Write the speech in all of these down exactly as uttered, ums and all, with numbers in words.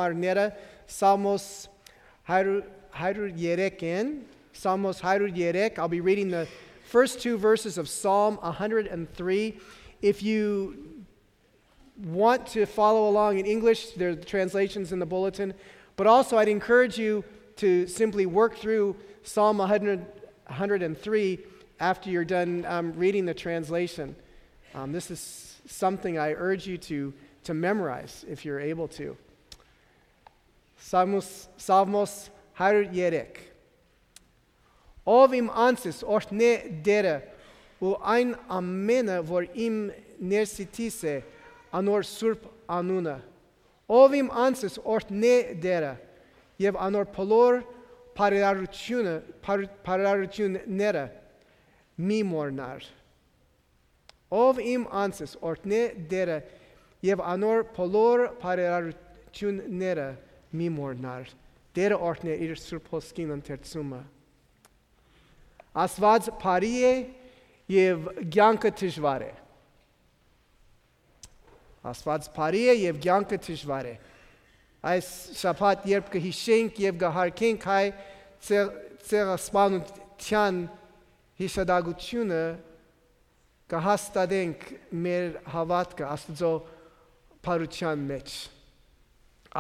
Արները, Սաղմոս հարիւր, հարիւր երեք են, Սաղմոս հարիւր երեք. I'll be reading the first two verses of Psalm one hundred and three. If you want to follow along in English, there are translations in the bulletin, but also I'd encourage you to simply work through Psalm one hundred, one hundred and three after you're done, um, reading the translation. Um, this is something I urge you to, to memorize if you're able to. Սաղմոս, Սաղմոս հարիւր երեք. Ով իմ անձս օրհնէ Տէրը ու այն ամենը, որ իմ ներսիդիս է, անոր սուրբ անունը։ Ով իմ անձս օրհնէ Տէրը եւ անոր բոլոր բարերարությունը, բարերարությունները, մի մոռնար։ Ով իմ անձս օրհնէ Տէրը եւ անոր բոլոր բարերարությունները, մի մոռնար։ Տէրը օրհնէ իր սուրբ հոսքին ընթերցումը։ Աստուած բարի է եւ կեանքը դժուար է։ Աստուած բարի է եւ կեանքը դժուար է։ Այս շաբաթ, երբ կը յիշենք եւ կը յարգենք հայ ցեղ-, ցեղասպանութեան յիշատակութիւնը, կը հաստատենք մեր հաւատքը Աստուծոյ բարութեան մէջ։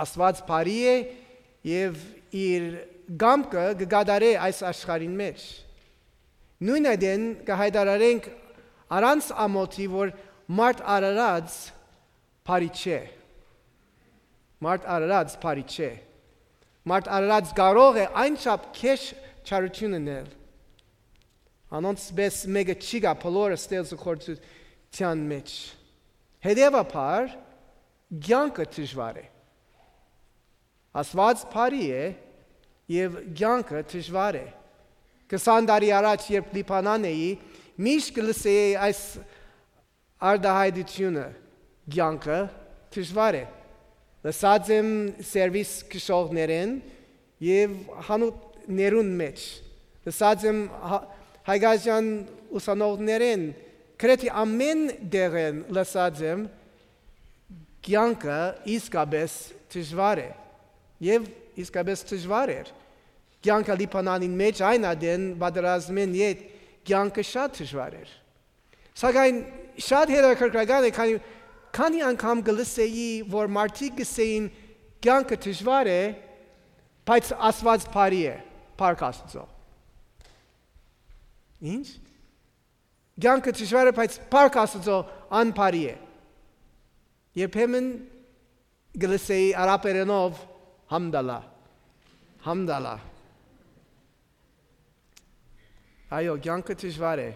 Աստուած բարի է եւ իր կամքը կը կատարէ այս աշխարհին մէջ։ Նոյն ատեն կը յայտարարենք առանց ամոթի, որ մարդ արարած բարի չէ։ Մարդ արարած բարի չէ։ Մարդ արարած կարող է այն չափ քեշ չարութիւն ընել։ Անոնց պէս մէկը չի գայ բոլորը ստեղծագործութեան մէջ։ Հետեւաբար, կեանքը դժուար է։ Աստուած բարի է եւ կեանքը դժուար է։ Քսան տարի առաջ, երբ Լիբանան էի, միշտ կը լսէի այս արտայայտութիւնը. «Կեանքը դժուար է»։ Լսած եմ սերվիս քշողներէն եւ հանուտներուն մէջ։ Լսած եմ հա-, հայկական ուսանողներէն, գրեթէ ամէն տեղէն լսած եմ. «Կեանքը իսկապէս դժուար է»։ Եւ իսկապէս դժուար էր։ Կեանքը Լիբանանին մէջ, այն ատեն պատերազմէն յետ, կեանքը շատ դժուար էր։ Սակայն շատ հետաքրքրական է, քանի, քանի՞ անգամ կը լսէի, որ մարդիկ կ'ըսէին. «Կեանքը դժուար է, բայց Աստուած բարի է»։ Փառք Աստուծոյ։ Ի՞նչ։ «Կեանքը դժուար է, բայց փառք Աստուծոյ, ան բարի է»։ Երբեմն կը լսէի արաբերէնով. «Համդալա, համդալա»։ Այո, կեանքը դժուար է,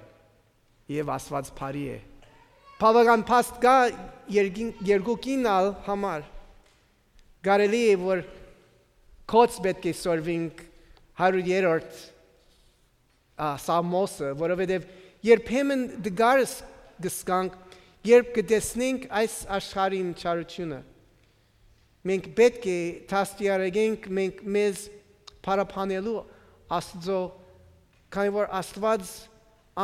եւ Աստուած բարի է։ Բաւական փաստ կայ երկին-, երկուքին ալ համար։ Կարելի է, որ կոչ պէտք է սորվինք հարիւր երրորդ, ա, Սաղմոսը, որովհետեւ երբեմն տկարս կ'ըսկանք, երբ կը տեսնենք այս աշխարհին չարութիւնը։ Մենք պէտք է դաստիարակենք մենք մեզ փառաբանելու Աստուծոյ, քանի որ Աստուած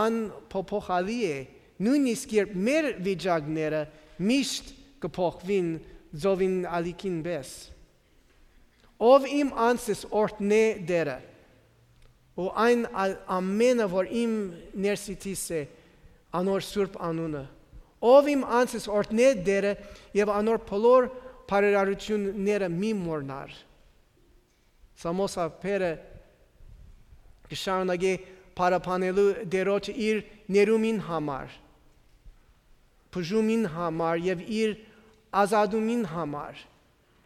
անփոփոխալի է, նոյնիսկ երբ մեր վիճակները միշտ կը փոխուին ծովին ալիքին պէս։ Ով իմ անձս օրհնէ Տէրը, ու այն ալ ամենը, որ իմ ներսիդիս է, անոր սուրբ անունը։ Ով իմ անձս օրհնէ Տէրը եւ անոր բոլոր բարերարությունները, մի մոռնար։ Սամոսա Փերը կը շարունակէ փառաբանելու Տէրոջը իր ներումին համար, բուժումին համար եւ իր ազատումին համար,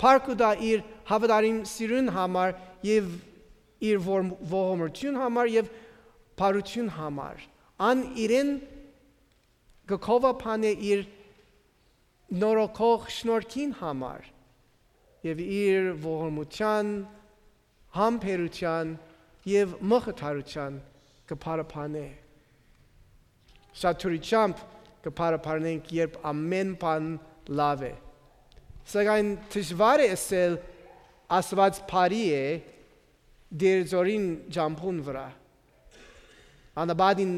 փառք կու տայ իր հաւատարիմ սիրուն համար եւ իր որ-, ողորմութիւն համար եւ բարութիւն համար։ Ան իրեն կը գովաբանէ իր նորոգող շնորհքին համար եւ իր ողորմութեան, համբերութեան եւ մխիթարութեան կը փառաբանէ։ Շատ դրությամբ կը փառաբանենք, երբ ամէն բան լաւ է։ Սակայն դժուար է ըսել Աստուած բարի է Տէր Ձորին ճամբուն վրայ։ Անապատին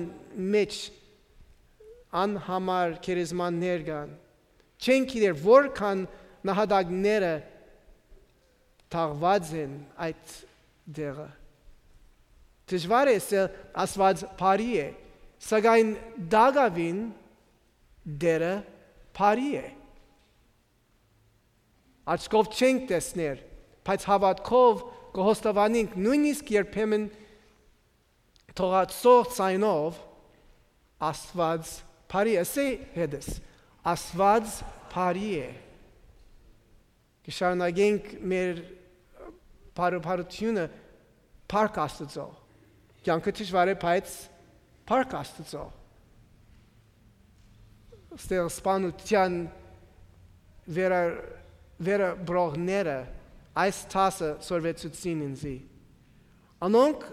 մէջ անհամար գերեզմաններ կան։ Չեն գիտեր որքան նահատակները թաղուած են այդ տեղը։ Դժուար է ըսել Աստուած բարի է, սակայն տակաւին Տէրը բարի է։ Աչքով չենք տեսներ, բայց հաւատքով կը հոստովանենք, նոյնիսկ երբեմն թողացող ձայնով, Աստուած բարի է, ըսէ հետս, Աստուած բարի է։ Կը շարունակենք մեր բարոյ բարութիւնը փառք Աստուծոյ։ Կեանքը դժուար է, բայց փառք Աստուծոյ։ Ստեղծուածության վերա-, վերապրողները այս դասը սորվեցուցին ինծի։ Անոնք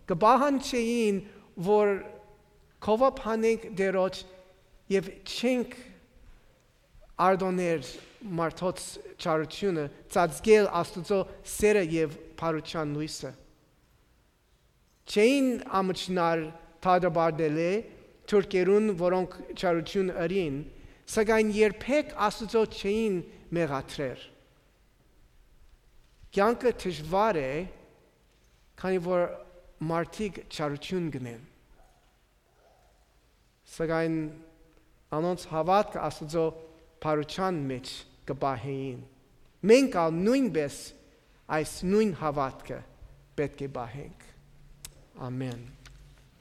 կը պահանջէին, որ գովաբանենք Տէրոջ եւ չենք արտօներ մարդոց չարութիւնը, ծածկել Աստուծոյ սէրը եւ բարութեան լոյսը։ Չէին ամչնար դատապարտելէ թուրքերուն, որոնք չարութիւն ըրին, սակայն երբեք Աստուծոյ չէին մեղադրեր։ Կեանքը դժուար է, քանի որ մարդիկ չարութիւն կ'ընեն, սակայն անոնց հաւատքը Աստուծոյ բարութեան մէջ կը պահէին։ Մենք ալ նոյնպէս այս նոյն հաւատքը պէտք է պահենք։ Ամէն։